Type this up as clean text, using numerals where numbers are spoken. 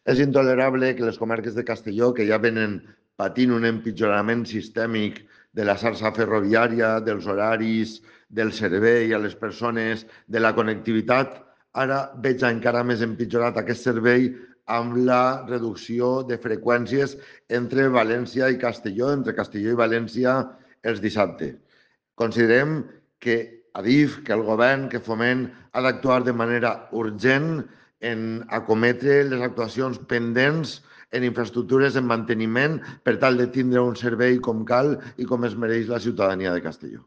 És intolerable que les comarques de Castelló, que ja venen patint un empitjorament sistèmic de la xarxa ferroviària, dels horaris, del servei a les persones, de la connectivitat, ara veig encara més empitjorat aquest servei amb la reducció de freqüències entre València i Castelló, entre Castelló i València els dissabtes. Considerem que Adif, que el govern, que Foment ha d'actuar de manera urgent en acometre les actuacions pendents en infraestructures, en manteniment, per tal de tindre un servei com cal i com es mereix la ciutadania de Castelló.